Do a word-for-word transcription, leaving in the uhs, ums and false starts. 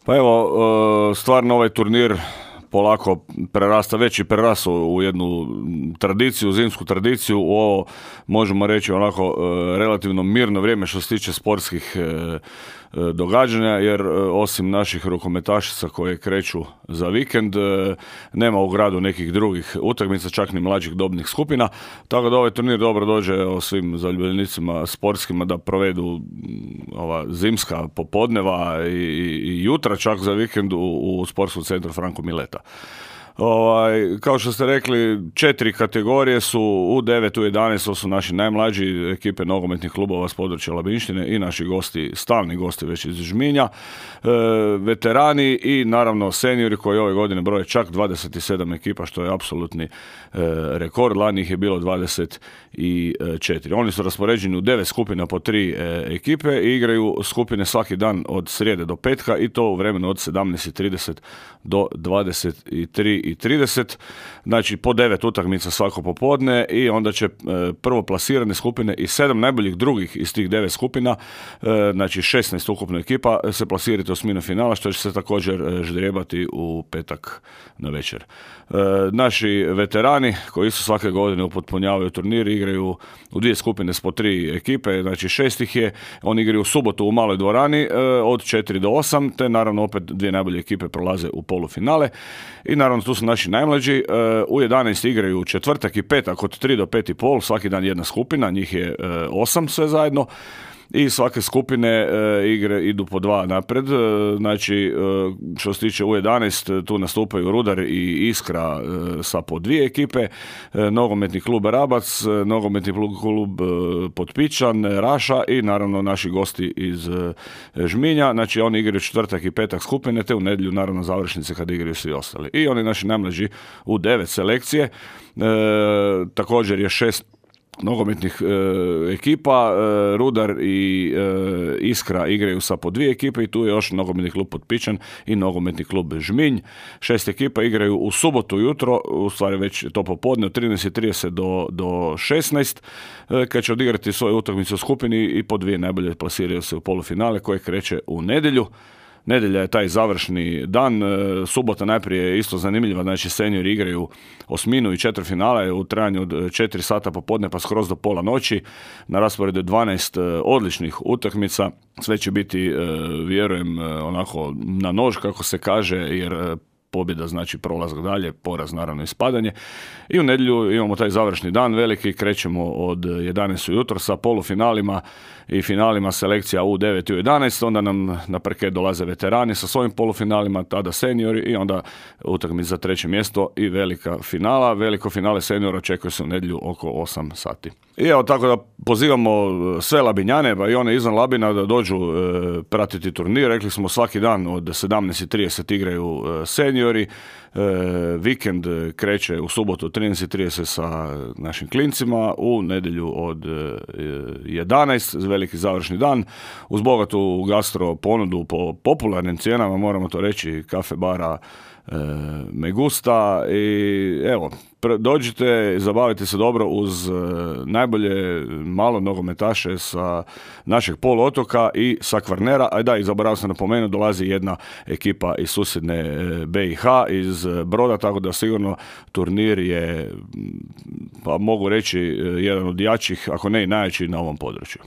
Pa evo, e, stvarno ovaj turnir polako prerasta, već i prerastao u jednu tradiciju, zimsku tradiciju, u ovo možemo reći onako e, relativno mirno vrijeme što se tiče sportskih e, događanja, jer osim naših rukometašica koje kreću za vikend, nema u gradu nekih drugih utakmica, čak ni mlađih dobnih skupina, tako da ovaj turnir dobro dođe o svim zaljubljenicima sportskima da provedu ova zimska popodneva i, i jutra čak za vikend u, u sportskom centru Franko Mileta. Ovaj, kao što ste rekli, četiri kategorije su u devet, u jedanaest, to su naši najmlađi ekipe nogometnih klubova s područja Labinštine i naši gosti, stalni gosti već iz Žminja, e, veterani i naravno seniori koji ove godine broje čak dvadeset sedam ekipa, što je apsolutni e, rekord, lani ih je bilo dvadeset četiri. Oni su raspoređeni u devet skupina po tri e, ekipe i igraju skupine svaki dan od srijede do petka i to u vremenu od sedamnaest i trideset do dvadeset tri i trideset, znači po devet utakmica svako popodne i onda će e, prvo plasirane skupine i sedam najboljih drugih iz tih devet skupina, e, znači šesnaest ukupno ekipa se plasirati u osminu finala, što će se također e, ždrijebati u petak na večer. E, naši veterani koji su svake godine upotpunjavaju turnir, igraju u dvije skupine s po tri ekipe, znači šest ih je, oni igraju u subotu u maloj dvorani e, od četiri do osam, te naravno opet dvije najbolje ekipe prolaze u polufinale i naravno tu su naši najmlađi, u jedanaest igraju četvrtak i petak od tri do pet i pol, svaki dan jedna skupina, njih je osam sve zajedno i svake skupine e, igre idu po dva napred, e, znači e, što se tiče u jedanaest tu nastupaju Rudar i Iskra e, sa po dvije ekipe, e, nogometni klub Rabac, e, nogometni klub e, Potpičan, Raša i naravno naši gosti iz e, Žminja, znači oni igraju četvrtak i petak skupine, te u nedjelju naravno završnice kad igraju svi ostali. I oni naši najmlađi u devet selekcije, e, također je šest nogometnih e, ekipa, e, Rudar i e, Iskra igraju sa po dvije ekipe i tu je još nogometni klub Potpičan i nogometni klub Žminj. Šest ekipa igraju u subotu jutro, u stvari već to popodne od trinaest i trideset do, do šesnaest, e, kad će odigrati svoju utakmicu u skupini i po dvije najbolje plasiraju se u polufinale koje kreće u nedjelju. Nedjelja je taj završni dan, subota najprije je isto zanimljiva, znači seniori igraju osminu i četvrtfinale u trajanju od četiri sata popodne pa skroz do pola noći, na rasporedu dvanaest odličnih utakmica, sve će biti, vjerujem, onako na nož kako se kaže, jer pobjeda znači prolazak dalje, poraz naravno ispadanje. I u nedjelju imamo taj završni dan veliki, krećemo od jedanaest ujutro sa polufinalima i finalima selekcija u devet i u jedanaest, onda nam na parket dolaze veterani sa svojim polufinalima, tada seniori i onda utakmica za treće mjesto i velika finala. Veliko finale seniora očekuje se u nedjelju oko osam sati. I evo tako da pozivamo sve Labinjane, pa i one izvan Labina da dođu e, pratiti turnir. Rekli smo svaki dan od sedamnaest i trideset igraju e, seniori, e, vikend kreće u subotu od trinaest i trideset sa našim klincima, u nedjelju od e, jedanaest, veliki završni dan, uz bogatu gastro ponudu po popularnim cijenama, moramo to reći, kafe bara e, Megusta i evo, dođite, zabavite se dobro uz e, najbolje malo nogometaše sa našeg poluotoka i sa Kvarnera, a da, i zaboravio sam napomenuti, dolazi jedna ekipa iz susjedne e, B i H, iz Broda, tako da sigurno turnir je, pa mogu reći, jedan od jačih, ako ne i najjači na ovom području.